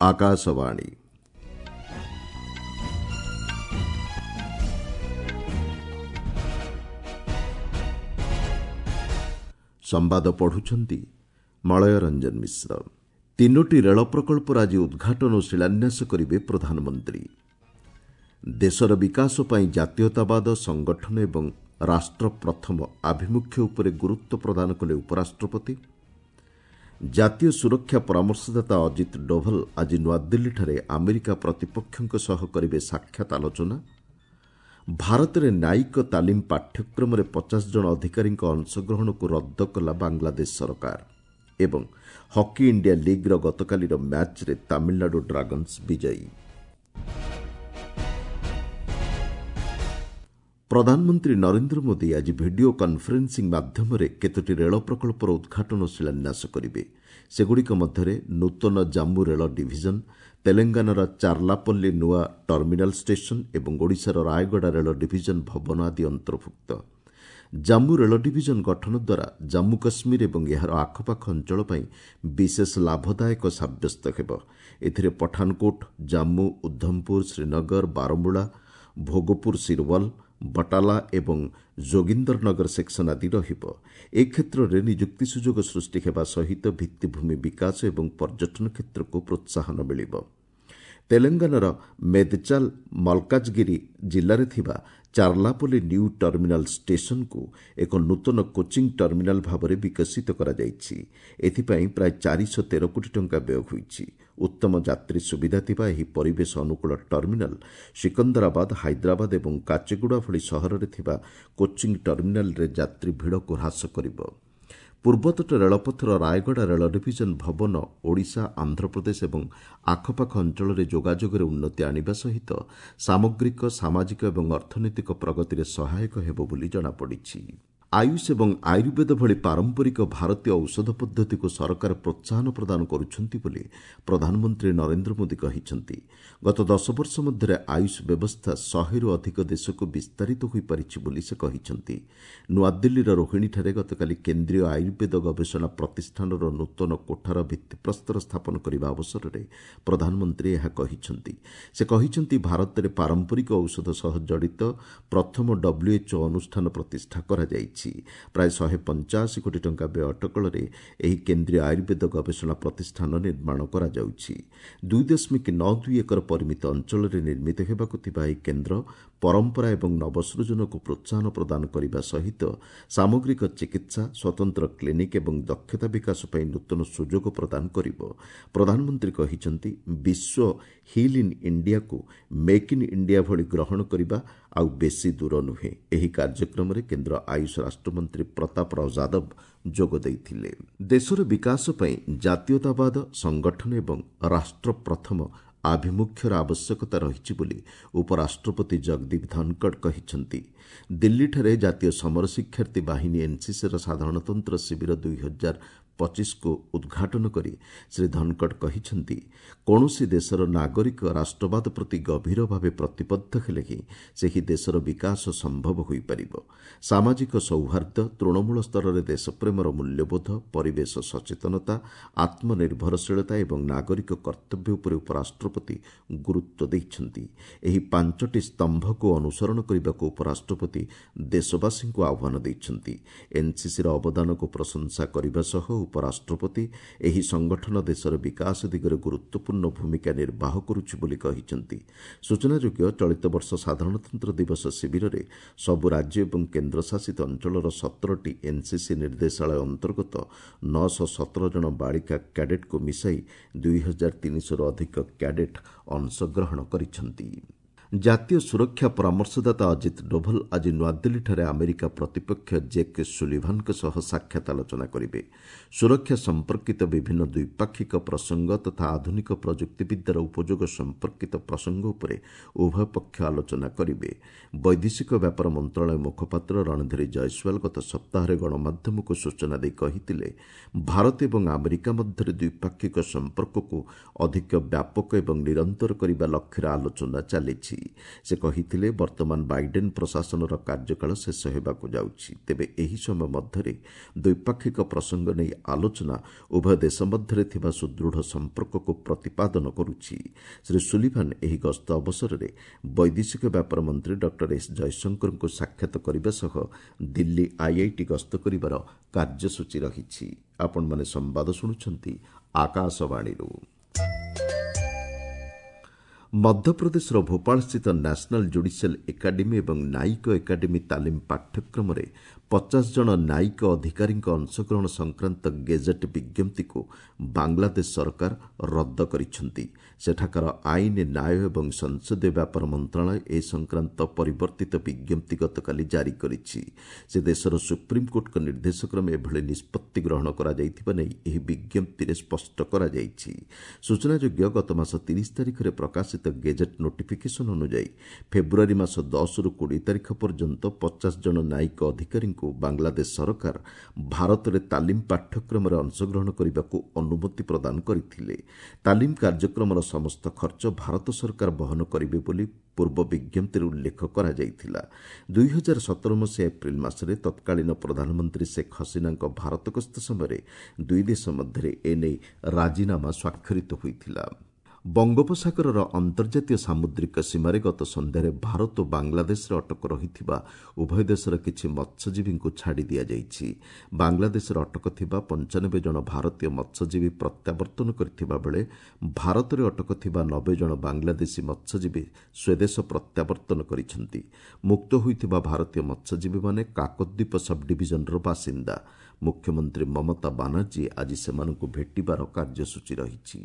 ଆକାଶବାଣୀ। ସମ୍ବାଦ ପଢୁଛନ୍ତି ମଳୟ ରଞ୍ଜନ ମିଶ୍ର। ତିନୋଟି ରେଳ ପ୍ରକଳ୍ପର ଆଜି ଉଦ୍ଘାଟନ ଓ ଶିଳାନ୍ୟାସ କରିବେ ପ୍ରଧାନମନ୍ତ୍ରୀ। ଦେଶର ବିକାଶ ପାଇଁ ଜାତୀୟତାବାଦ, ସଂଗଠନ ଏବଂ ରାଷ୍ଟ୍ର ପ୍ରଥମ ଆଭିମୁଖ୍ୟ ଉପରେ ଗୁରୁତ୍ୱ ପ୍ରଦାନ କଲେ ଉପରାଷ୍ଟ୍ରପତି। ଜାତୀୟ ସୁରକ୍ଷା ପରାମର୍ଶଦାତା ଅଜିତ ଡୋଭଲ ଆଜି ନୂଆଦିଲ୍ଲୀଠାରେ ଆମେରିକା ପ୍ରତିପକ୍ଷଙ୍କ ସହ କରିବେ ସାକ୍ଷାତ ଆଲୋଚନା। ଭାରତରେ ନ୍ୟାୟିକ ତାଲିମ ପାଠ୍ୟକ୍ରମରେ 50 ଜଣ ଅଧିକାରୀଙ୍କ ଅଂଶଗ୍ରହଣକୁ ରଦ୍ଦ କଲା ବାଂଲାଦେଶ ସରକାର। ଏବଂ ହକି ଇଣ୍ଡିଆ ଲିଗ୍ର ଗତକାଲିର ମ୍ୟାଚ୍ରେ ତାମିଲନାଡୁ ଡ୍ରାଗନ୍ସ ବିଜୟୀ। ପ୍ରଧାନମନ୍ତ୍ରୀ ନରେନ୍ଦ୍ର ମୋଦି ଆଜି ଭିଡିଓ କନ୍ଫରେନ୍ସିଂ ମାଧ୍ୟମରେ କେତୋଟି ରେଳ ପ୍ରକଳ୍ପର ଉଦ୍ଘାଟନ ଓ ଶିଳାନ୍ୟାସ କରିବେ। ସେଗୁଡ଼ିକ ମଧ୍ୟରେ ନୂତନ ଜାମ୍ମୁ ରେଳ ଡିଭିଜନ, ତେଲେଙ୍ଗାନାର ଚାର୍ଲାପଲ୍ଲୀ ନୂଆ ଟର୍ମିନାଲ ଷ୍ଟେସନ ଏବଂ ଓଡ଼ିଶାର ରାୟଗଡ଼ା ରେଳ ଡିଭିଜନ ଭବନ ଆଦି ଅନ୍ତର୍ଭୁକ୍ତ। ଜାମ୍ମୁ ରେଳ ଡିଭିଜନ ଗଠନ ଦ୍ୱାରା ଜାମ୍ମୁ କାଶ୍ମୀର ଏବଂ ଏହାର ଆଖପାଖ ଅଞ୍ଚଳ ପାଇଁ ବିଶେଷ ଲାଭଦାୟକ ସାବ୍ୟସ୍ତ ହେବ। ଏଥିରେ ପଠାନକୋଟ, ଜାମ୍ମୁ, ଉଦ୍ଧମପୁର, ଶ୍ରୀନଗର, ବାରମୁଳା, ଭୋଗପୁର ସିରୱାଲ, ବଟାଲା ଏବଂ ଯୋଗିନ୍ଦରନଗର ସେକ୍ସନ ଆଦି ରହିବ। ଏ କ୍ଷେତ୍ରରେ ନିଯୁକ୍ତି ସୁଯୋଗ ସୃଷ୍ଟି ହେବା ସହିତ ଭିତ୍ତିଭୂମି ବିକାଶ ଏବଂ ପର୍ଯ୍ୟଟନ କ୍ଷେତ୍ରକୁ ପ୍ରୋତ୍ସାହନ ମିଳିବ। ତେଲେଙ୍ଗାନାର ମେଦଚାଲ ମଲକାଜଗିରି ଜିଲ୍ଲାରେ ଥିବା ଚାର୍ଲାପଲ୍ଲୀ ନ୍ୟୁ ଟର୍ମିନାଲ ଷ୍ଟେସନକୁ ଏକ ନୂତନ କୋଚିଂ ଟର୍ମିନାଲ ଭାବରେ ବିକଶିତ କରାଯାଇଛି। ଏଥିପାଇଁ ପ୍ରାୟ 413 କୋଟି ଟଙ୍କା ବ୍ୟୟ ହୋଇଛି। ଉତ୍ତମ ଯାତ୍ରୀ ସୁବିଧା ଥିବା ଏହି ପରିବେଶ ଅନୁକୂଳ ଟର୍ମିନାଲ ସିକନ୍ଦରାବାଦ, ହାଇଦ୍ରାବାଦ ଏବଂ କାଚେଗୁଡ଼ା ଭଳି ସହରରେ ଥିବା କୋଚିଂ ଟର୍ମିନାଲରେ ଯାତ୍ରୀ ଭିଡ଼କୁ ହ୍ରାସ କରିବ। ପୂର୍ବତଟ ରେଳପଥର ରାୟଗଡ଼ା ରେଳ ଡିଭିଜନ ଭବନ ଓଡ଼ିଶା, ଆନ୍ଧ୍ରପ୍ରଦେଶ ଏବଂ ଆଖପାଖ ଅଞ୍ଚଳରେ ଯୋଗାଯୋଗରେ ଉନ୍ନତି ଆଣିବା ସହିତ ସାମଗ୍ରିକ, ସାମାଜିକ ଏବଂ ଅର୍ଥନୈତିକ ପ୍ରଗତିରେ ସହାୟକ ହେବ ବୋଲି ଜଣାପଡ଼ିଛି। ଆୟୁଷ ଏବଂ ଆୟୁର୍ବେଦ ଭଳି ପାରମ୍ପରିକ ଭାରତୀୟ ଔଷଧ ପଦ୍ଧତିକୁ ସରକାର ପ୍ରୋତ୍ସାହନ ପ୍ରଦାନ କରୁଛନ୍ତି ବୋଲି ପ୍ରଧାନମନ୍ତ୍ରୀ ନରେନ୍ଦ୍ର ମୋଦି କହିଛନ୍ତି। ଗତ 10 ବର୍ଷ ମଧ୍ୟରେ ଆୟୁଷ ବ୍ୟବସ୍ଥା 100ରୁ ଅଧିକ ଦେଶକୁ ବିସ୍ତାରିତ ହୋଇପାରିଛି ବୋଲି ସେ କହିଛନ୍ତି। ନୂଆଦିଲ୍ଲୀର ରୋହିଣୀଠାରେ ଗତକାଲି କେନ୍ଦ୍ରୀୟ ଆୟୁର୍ବେଦ ଗବେଷଣା ପ୍ରତିଷ୍ଠାନର ନୂତନ କୋଠାର ଭିତ୍ତିପ୍ରସ୍ତର ସ୍ଥାପନ କରିବା ଅବସରରେ ପ୍ରଧାନମନ୍ତ୍ରୀ ଏହା କହିଛନ୍ତି। ସେ କହିଛନ୍ତି, ଭାରତରେ ପାରମ୍ପରିକ ଔଷଧ ସହ ଜଡ଼ିତ ପ୍ରଥମ WHO ଅନୁଷ୍ଠାନ ପ୍ରତିଷ୍ଠା କରାଯାଇଛି। ପ୍ରାୟ 185 କୋଟି ଟଙ୍କା ବ୍ୟୟ ଅଟକଳରେ ଏହି କେନ୍ଦ୍ରୀୟ ଆୟୁର୍ବେଦ ଗବେଷଣା ପ୍ରତିଷ୍ଠାନ ନିର୍ମାଣ କରାଯାଉଛି। 2.92 ଏକର ପରିମିତ ଅଞ୍ଚଳରେ ନିର୍ମିତ ହେବାକୁ ଥିବା ଏହି କେନ୍ଦ୍ର ପରମ୍ପରା ଏବଂ ନବସୃଜନକୁ ପ୍ରୋତ୍ସାହନ ପ୍ରଦାନ କରିବା ସହିତ ସାମଗ୍ରିକ ଚିକିତ୍ସା, ସ୍ୱତନ୍ତ୍ର କ୍ଲିନିକ୍ ଏବଂ ଦକ୍ଷତା ବିକାଶ ପାଇଁ ନୂତନ ସୁଯୋଗ ପ୍ରଦାନ କରିବ। ପ୍ରଧାନମନ୍ତ୍ରୀ କହିଛନ୍ତି, ବିଶ୍ୱ ହିଲ୍ ଇନ୍ ଇଣ୍ଡିଆକୁ ମେକ୍ ଇନ୍ ଇଣ୍ଡିଆ ଭଳି ଗ୍ରହଣ କରିବା ଆଉ ବେଶୀ ଦୂର ନୁହେଁ। ଏହି କାର୍ଯ୍ୟକ୍ରମରେ କେନ୍ଦ୍ର ଆୟୁଷ ରାଷ୍ଟ୍ରମନ୍ତ୍ରୀ ପ୍ରତାପ ରାଓ ଯାଦବ ଯୋଗ ଦେଇଥିଲେ। ଦେଶର ବିକାଶ ପାଇଁ ଜାତୀୟତାବାଦ, ସଂଗଠନ ଏବଂ ରାଷ୍ଟ୍ର ପ୍ରଥମ ଆଭିମୁଖ୍ୟର ଆବଶ୍ୟକତା ରହିଛି ବୋଲି ଉପରାଷ୍ଟ୍ରପତି ଜଗଦୀପ ଧନଖଡ଼ କହିଛନ୍ତି। ଦିଲ୍ଲୀଠାରେ ଜାତୀୟ ସମର ଶିକ୍ଷାର୍ଥୀ ବାହିନୀ ଏନ୍ସିସିର ସାଧାରଣତନ୍ତ୍ର ଶିବିର 2025କୁ ଉଦ୍ଘାଟନ କରି ଶ୍ରୀ ଧନଖଡ଼ କହିଛନ୍ତି, କୌଣସି ଦେଶର ନାଗରିକ ରାଷ୍ଟ୍ରବାଦ ପ୍ରତି ଗଭୀର ଭାବେ ପ୍ରତିବଦ୍ଧ ହେଲେ ହିଁ ସେହି ଦେଶର ବିକାଶ ସମ୍ଭବ ହୋଇପାରିବ। ସାମାଜିକ ସୌହାର୍ଦ୍ଦ୍ୟ, ତୃଣମୂଳ ସ୍ତରରେ ଦେଶପ୍ରେମର ମୂଲ୍ୟବୋଧ, ପରିବେଶ ସଚେତନତା, ଆତ୍ମନିର୍ଭରଶୀଳତା ଏବଂ ନାଗରିକ କର୍ତ୍ତବ୍ୟ ଉପରେ ଉପରାଷ୍ଟ୍ରପତି ଗୁରୁତ୍ୱ ଦେଇଛନ୍ତି। ଏହି 5ଟି ସ୍ତମ୍ଭକୁ ଅନୁସରଣ କରିବାକୁ ଉପରାଷ୍ଟ୍ରପତି ଦେଶବାସୀଙ୍କୁ ଆହ୍ୱାନ ଦେଇଛନ୍ତି। ଏନ୍ସିସିର ଅବଦାନକୁ ପ୍ରଶଂସା କରିବା ସହ ଉପରାଷ୍ଟ୍ରପତି ଏହି ସଂଗଠନ ଦେଶର ବିକାଶ ଦିଗରେ ଗୁରୁତ୍ୱପୂର୍ଣ୍ଣ ଭୂମିକା ନିର୍ବାହ କରୁଛି ବୋଲି କହିଛନ୍ତି। ସୂଚନାଯୋଗ୍ୟ, ଚଳିତ ବର୍ଷ ସାଧାରଣତନ୍ତ୍ର ଦିବସ ଶିବିରରେ ସବୁ ରାଜ୍ୟ ଏବଂ କେନ୍ଦ୍ରଶାସିତ ଅଞ୍ଚଳର 17ଟି ଏନ୍ସିସି ନିର୍ଦ୍ଦେଶାଳୟ ଅନ୍ତର୍ଗତ 917 ଜଣ ବାଳିକା କ୍ୟାଡେଟ୍କୁ ମିଶାଇ 2300ରୁ ଅଧିକ କ୍ୟାଡେଟ୍ ଅଂଶଗ୍ରହଣ କରିଛନ୍ତି। ଜାତୀୟ ସୁରକ୍ଷା ପରାମର୍ଶଦାତା ଅଜିତ ଡୋଭଲ ଆଜି ନୂଆଦିଲ୍ଲୀଠାରେ ଆମେରିକା ପ୍ରତିପକ୍ଷ ଜେକ୍ ସୁଲିଭାନଙ୍କ ସହ ସାକ୍ଷାତ ଆଲୋଚନା କରିବେ। ସୁରକ୍ଷା ସମ୍ପର୍କିତ ବିଭିନ୍ନ ଦ୍ୱିପାକ୍ଷିକ ପ୍ରସଙ୍ଗ ତଥା ଆଧୁନିକ ପ୍ରଯୁକ୍ତିବିଦ୍ୟାର ଉପଯୋଗ ସମ୍ପର୍କିତ ପ୍ରସଙ୍ଗ ଉପରେ ଉଭୟ ପକ୍ଷ ଆଲୋଚନା କରିବେ। ବୈଦେଶିକ ବ୍ୟାପାର ମନ୍ତ୍ରଣାଳୟ ମୁଖପାତ୍ର ରଣଧୀର ଜୟସ୍ୱାଲ ଗତ ସପ୍ତାହରେ ଗଣମାଧ୍ୟମକୁ ସୂଚନା ଦେଇ କହିଥିଲେ, ଭାରତ ଏବଂ ଆମେରିକା ମଧ୍ୟରେ ଦ୍ୱିପାକ୍ଷିକ ସମ୍ପର୍କକୁ ଅଧିକ ବ୍ୟାପକ ଏବଂ ନିରନ୍ତର କରିବା ଲକ୍ଷ୍ୟରେ ଆଲୋଚନା ଚାଲିଛି। କରାଯାଇଛି। ସେ କହିଥିଲେ, ବର୍ତ୍ତମାନ ବାଇଡେନ୍ ପ୍ରଶାସନର କାର୍ଯ୍ୟକାଳ ଶେଷ ହେବାକୁ ଯାଉଛି। ତେବେ ଏହି ସମୟ ମଧ୍ୟରେ ଦ୍ୱିପାକ୍ଷିକ ପ୍ରସଙ୍ଗ ନେଇ ଆଲୋଚନା ଉଭୟ ଦେଶ ମଧ୍ୟରେ ଥିବା ସୁଦୃଢ଼ ସମ୍ପର୍କକୁ ପ୍ରତିପାଦନ କରୁଛି। ଶ୍ରୀ ସୁଲିଭାନ୍ ଏହି ଗସ୍ତ ଅବସରରେ ବୈଦେଶିକ ବ୍ୟାପାର ମନ୍ତ୍ରୀ ଡକ୍ଟର ଏସ୍ ଜୟଶଙ୍କରଙ୍କୁ ସାକ୍ଷାତ କରିବା ସହ ଦିଲ୍ଲୀ ଆଇଆଇଟି ଗସ୍ତ କରିବାର କାର୍ଯ୍ୟସୂଚୀ ରହିଛି। ଆପଣମାନେ ସମ୍ବାଦ ଶୁଣୁଛନ୍ତି ଆକାଶବାଣୀରୁ। ମଧ୍ୟପ୍ରଦେଶର ଭୋପାଳସ୍ଥିତ ନ୍ୟାସନାଲ୍ ଜୁଡିସିଆଲ୍ ଏକାଡେମୀ ଏବଂ ନ୍ୟାୟିକ ଏକାଡେମୀ ତାଲିମ ପାଠ୍ୟକ୍ରମରେ 50 ଜଣ ନ୍ୟାୟିକ ଅଧିକାରୀଙ୍କ ଅଂଶଗ୍ରହଣ ସଂକ୍ରାନ୍ତ ଗେଜେଟ୍ ବିଜ୍ଞପ୍ତିକୁ ବାଂଲାଦେଶ ସରକାର ରଦ୍ଦ କରିଛନ୍ତି। ସେଠାକାର ଆଇନ, ନ୍ୟାୟ ଏବଂ ସଂସଦୀୟ ବ୍ୟାପାର ମନ୍ତ୍ରଣାଳୟ ଏ ସଂକ୍ରାନ୍ତ ପରିବର୍ତ୍ତିତ ବିଜ୍ଞପ୍ତି ଗତକାଲି ଜାରି କରିଛି। ସେ ଦେଶର ସୁପ୍ରିମକୋର୍ଟଙ୍କ ନିର୍ଦ୍ଦେଶକ୍ରମେ ଏଭଳି ନିଷ୍ପତ୍ତି ଗ୍ରହଣ କରାଯାଇଥିବା ନେଇ ଏହି ବିଜ୍ଞପ୍ତିରେ ସ୍ପଷ୍ଟ କରାଯାଇଛି। ସୂଚନାଯୋଗ୍ୟ, ଗତମାସ 30 ତାରିଖରେ ପ୍ରକାଶିତ ଗେଜେଟ୍ ନୋଟିଫିକେସନ୍ ଅନୁଯାୟୀ ଫେବୃଆରୀ ମାସ 10ରୁ 20 ତାରିଖ ପର୍ଯ୍ୟନ୍ତ 50 ଜଣ ନ୍ୟାୟିକ ଅଧିକାରୀଙ୍କୁ ବାଂଲାଦେଶ ସରକାର ଭାରତରେ ତାଲିମ ପାଠ୍ୟକ୍ରମରେ ଅଂଶଗ୍ରହଣ କରିବାକୁ ଅନୁମତି ପ୍ରଦାନ କରିଥିଲେ। ତାଲିମ କାର୍ଯ୍ୟକ୍ରମର ସମସ୍ତ ଖର୍ଚ୍ଚ ଭାରତ ସରକାର ବହନ କରିବେ ବୋଲି ପୂର୍ବ ବିଜ୍ଞପ୍ତିରେ ଉଲ୍ଲେଖ କରାଯାଇଥିଲା। 2017 ମସିହା ଏପ୍ରିଲ ମାସରେ ତତ୍କାଳୀନ ପ୍ରଧାନମନ୍ତ୍ରୀ ଶେଖ୍ ହସିନାଙ୍କ ଭାରତ ଗସ୍ତ ସମୟରେ ଦୁଇ ଦେଶ ମଧ୍ୟରେ ଏନେଇ ରାଜିନାମା ସ୍ୱାକ୍ଷରିତ ହୋଇଥିଲା। ବଙ୍ଗୋପସାଗରର ଅନ୍ତର୍ଜାତୀୟ ସାମୁଦ୍ରିକ ସୀମାରେ ଗତ ସନ୍ଧ୍ୟାରେ ଭାରତ ଓ ବାଂଲାଦେଶରେ ଅଟକ ରହିଥିବା ଉଭୟ ଦେଶର କିଛି ମତ୍ସ୍ୟଜୀବୀଙ୍କୁ ଛାଡ଼ି ଦିଆଯାଇଛି। ବାଂଲାଦେଶରେ ଅଟକ ଥିବା 95 ଜଣ ଭାରତୀୟ ମତ୍ସ୍ୟଜୀବୀ ପ୍ରତ୍ୟାବର୍ତ୍ତନ କରିଥିବା ବେଳେ ଭାରତରେ ଅଟକ ଥିବା 90 ଜଣ ବାଂଲାଦେଶୀ ମତ୍ସ୍ୟଜୀବୀ ସ୍ୱଦେଶ ପ୍ରତ୍ୟାବର୍ତ୍ତନ କରିଛନ୍ତି। ମୁକ୍ତ ହୋଇଥିବା ଭାରତୀୟ ମତ୍ସ୍ୟଜୀବୀମାନେ କାକଦ୍ୱୀପ ସବ୍ଡିଭିଜନର ବାସିନ୍ଦା। ମୁଖ୍ୟମନ୍ତ୍ରୀ ମମତା ବାନାର୍ଜୀ ଆଜି ସେମାନଙ୍କୁ ଭେଟିବାର କାର୍ଯ୍ୟସୂଚୀ ରହିଛି।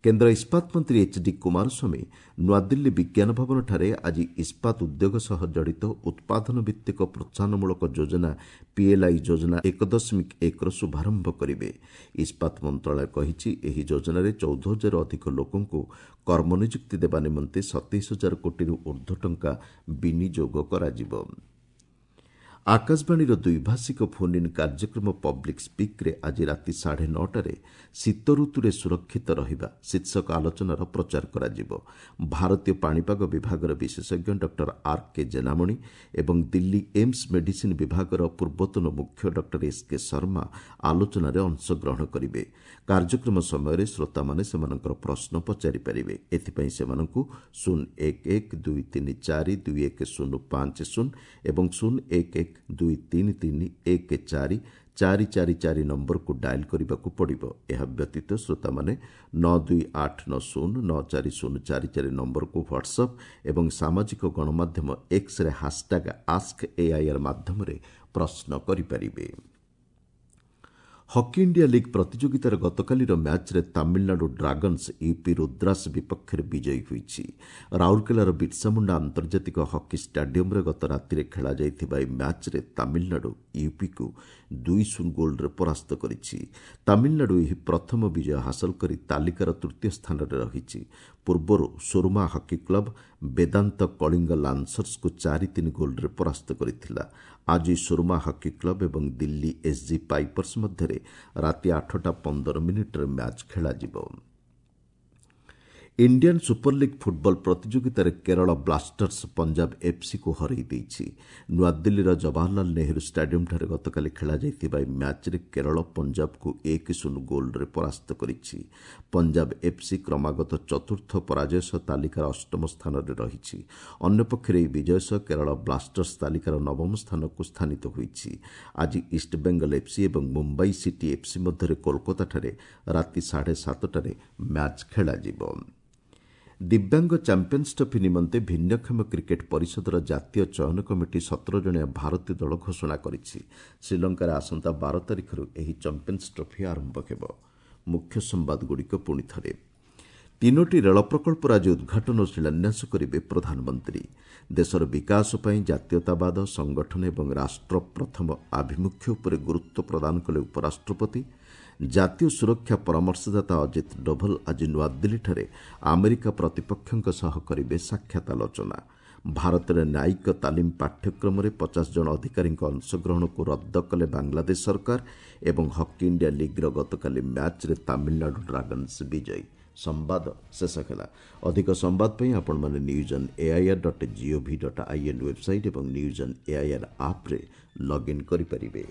କେନ୍ଦ୍ର ଇସ୍ପାତ ମନ୍ତ୍ରୀ ଏଚ୍ ଡି କୁମାରସ୍ୱାମୀ ନୂଆଦିଲ୍ଲୀ ବିଜ୍ଞାନ ଭବନଠାରେ ଆଜି ଇସ୍ପାତ ଉଦ୍ୟୋଗ ସହ ଜଡ଼ିତ ଉତ୍ପାଦନ ଭିତ୍ତିକ ପ୍ରୋତ୍ସାହନମୂଳକ ଯୋଜନା ପିଏଲ୍ଆଇ ଯୋଜନା 1.1ର ଶୁଭାରମ୍ଭ କରିବେ। ଇସ୍ପାତ ମନ୍ତ୍ରଣାଳୟ କହିଛି, ଏହି ଯୋଜନାରେ 14 ହଜାରରୁ ଅଧିକ ଲୋକଙ୍କୁ କର୍ମନିଯୁକ୍ତି ଦେବା ନିମନ୍ତେ 27 ହଜାର କୋଟିରୁ ଉର୍ଦ୍ଧ୍ୱ ଟଙ୍କା ବିନିଯୋଗ କରାଯିବ। ଆକାଶବାଣୀର ଦ୍ୱିଭାଷିକ ଫୋନ୍ ଇନ୍ କାର୍ଯ୍ୟକ୍ରମ ପବ୍ଲିକ୍ ସ୍ପିକ୍ରେ ଆଜି ରାତି 9:30ରେ ଶୀତ ଋତୁରେ ସୁରକ୍ଷିତ ରହିବା ଶୀର୍ଷକ ଆଲୋଚନାର ପ୍ରଚାର କରାଯିବ। ଭାରତୀୟ ପାଣିପାଗ ବିଭାଗର ବିଶେଷଜ୍ଞ ଡକ୍ଟର ଆର୍ କେ ଜେନାମଣି ଏବଂ ଦିଲ୍ଲୀ ଏମ୍ସ ମେଡିସିନ୍ ବିଭାଗର ପୂର୍ବତନ ମୁଖ୍ୟ ଡକ୍ଟର ଏସ୍ କେ ଶର୍ମା ଆଲୋଚନାରେ ଅଂଶଗ୍ରହଣ କରିବେ। କାର୍ଯ୍ୟକ୍ରମ ସମୟରେ ଶ୍ରୋତାମାନେ ସେମାନଙ୍କର ପ୍ରଶ୍ନ ପଚାରିପାରିବେ। ଏଥିପାଇଁ ସେମାନଙ୍କୁ 0 1 1 2 3 4 2 1 0 5 0 ଏବଂ 0 1 1 2 3 3 1 4 4 4 4 ନମ୍ବରକୁ ଡାଏଲ୍ କରିବାକୁ ପଡ଼ିବ। ଏହା ବ୍ୟତୀତ ଶ୍ରୋତାମାନେ 9 2 8 9 0 9 4 0 4 4 ନମ୍ବରକୁ ହ୍ୱାଟ୍ସଆପ୍ ଏବଂ ସାମାଜିକ ଗଣମାଧ୍ୟମ ଏକ୍ସରେ ହାସ୍ଟ୍ୟାଗ୍ ଆସ୍କ ଏଆଇଆର୍ ମାଧ୍ୟମରେ ପ୍ରଶ୍ନ କରିପାରିବେ। ହକି ଇଣ୍ଡିଆ ଲିଗ୍ ପ୍ରତିଯୋଗିତାର ଗତକାଲିର ମ୍ୟାଚ୍ରେ ତାମିଲନାଡୁ ଡ୍ରାଗନ୍ସ ୟୁପି ରୁଦ୍ରାସ ବିପକ୍ଷରେ ବିଜୟୀ ହୋଇଛି। ରାଉରକେଲାର ବିର୍ସାମୁଣ୍ଡା ଆନ୍ତର୍ଜାତିକ ହକି ଷ୍ଟାଡିୟମ୍ରେ ଗତ ରାତିରେ ଖେଳାଯାଇଥିବା ଏହି ମ୍ୟାଚ୍ରେ ତାମିଲନାଡୁ ୟୁପିକୁ 2-0 ଗୋଲ୍ରେ ପରାସ୍ତ କରିଛି। ତାମିଲନାଡୁ ଏହି ପ୍ରଥମ ବିଜୟ ହାସଲ କରି ତାଲିକାର ତୃତୀୟ ସ୍ଥାନରେ ରହିଛି। ପୂର୍ବରୁ ସୁରମା ହକି କ୍ଲବ୍ ବେଦାନ୍ତ କଳିଙ୍ଗ ଲାନ୍ସର୍ସକୁ 4-3 ଗୋଲ୍ରେ ପରାସ୍ତ କରିଥିଲା। ଆଜି ସୁରମା ହକି କ୍ଲବ୍ ଏବଂ ଦିଲ୍ଲୀ ଏସ୍ଜି ପାଇପର୍ସ ମଧ୍ୟରେ ରାତି 8ଟା 15 ମିନିଟ୍ରେ ମ୍ୟାଚ୍ ଖେଳାଯିବ। ଇଣ୍ଡିଆନ୍ ସୁପର ଲିଗ୍ ଫୁଟବଲ ପ୍ରତିଯୋଗିତାରେ କେରଳ ବ୍ଲାଷ୍ଟର୍ସ ପଞ୍ଜାବ ଏଫ୍ସିକୁ ହରାଇ ଦେଇଛି। ନୂଆଦିଲ୍ଲୀର ଜବାହରଲାଲ ନେହେରୁ ଷ୍ଟାଡିୟମ୍ଠାରେ ଗତକାଲି ଖେଳାଯାଇଥିବା ଏହି ମ୍ୟାଚ୍ରେ କେରଳ ପଞ୍ଜାବକୁ 1-0 ଗୋଲ୍ରେ ପରାସ୍ତ କରିଛି। ପଞ୍ଜାବ ଏଫ୍ସି କ୍ରମାଗତ ଚତୁର୍ଥ ପରାଜୟ ସହ ତାଲିକାର ଅଷ୍ଟମ ସ୍ଥାନରେ ରହିଛି। ଅନ୍ୟପକ୍ଷରେ ଏହି ବିଜୟ ସହ କେରଳ ବ୍ଲାଷ୍ଟର୍ସ ତାଲିକାର ନବମ ସ୍ଥାନକୁ ସ୍ଥାନିତ ହୋଇଛି। ଆଜି ଇଷ୍ଟବେଙ୍ଗଲ ଏଫ୍ସି ଏବଂ ମୁମ୍ବାଇ ସିଟି ଏଫ୍ସି ମଧ୍ୟରେ କୋଲକାତାଠାରେ ରାତି 7:30ରେ ମ୍ୟାଚ୍ ଖେଳାଯିବ। ଦିବ୍ୟାଙ୍ଗ ଚାମ୍ପିୟନ୍ସ ଟ୍ରଫି ନିମନ୍ତେ ଭିନ୍ନକ୍ଷମ କ୍ରିକେଟ୍ ପରିଷଦର ଜାତୀୟ ଚୟନ କମିଟି 17 ଜଣିଆ ଭାରତୀୟ ଦଳ ଘୋଷଣା କରିଛି। ଶ୍ରୀଲଙ୍କାରେ ଆସନ୍ତା 12 ତାରିଖରୁ ଏହି ଚାମ୍ପିୟନ୍ସ ଟ୍ରଫି ଆରମ୍ଭ ହେବ। ମୁଖ୍ୟ ସମ୍ବାଦଗୁଡ଼ିକ ପୁଣି ଥରେ। ତିନୋଟି ରେଳ ପ୍ରକଳ୍ପର ଆଜି ଉଦ୍ଘାଟନ ଓ ଶିଳାନ୍ୟାସ କରିବେ ପ୍ରଧାନମନ୍ତ୍ରୀ। ଦେଶର ବିକାଶ ପାଇଁ ଜାତୀୟତାବାଦ, ସଂଗଠନ ଏବଂ ରାଷ୍ଟ୍ର ପ୍ରଥମ ଆଭିମୁଖ୍ୟ ଉପରେ ଗୁରୁତ୍ୱ ପ୍ରଦାନ କଲେ ଉପରାଷ୍ଟ୍ରପତି। ଜାତୀୟ ସୁରକ୍ଷା ପରାମର୍ଶଦାତା ଅଜିତ ଡୋଭଲ ଆଜି ନୂଆଦିଲ୍ଲୀଠାରେ ଆମେରିକା ପ୍ରତିପକ୍ଷଙ୍କ ସହ କରିବେ ସାକ୍ଷାତ ଆଲୋଚନା। ଭାରତରେ ନ୍ୟାୟିକ ତାଲିମ ପାଠ୍ୟକ୍ରମରେ 50 ଜଣ ଅଧିକାରୀଙ୍କ ଅଂଶଗ୍ରହଣକୁ ରଦ୍ଦ କଲେ ବାଂଲାଦେଶ ସରକାର ଏବଂ ହକି ଇଣ୍ଡିଆ ଲିଗ୍ର ଗତକାଲି ମ୍ୟାଚ୍ରେ ତାମିଲନାଡୁ ଡ୍ରାଗନ୍ସ ବିଜୟୀ। ସମ୍ବାଦ ଶେଷ ହେଲା। ଅଧିକ ସମ୍ବାଦ ପାଇଁ ଆପଣମାନେ news on AIR dot GOV dot IN website ଏବଂ ନ୍ୟୁଜ୍ ଅନ୍ ଏଆଇଆର୍ ଆପ୍ରେ ଲଗ୍ଇନ୍ କରିପାରିବେ।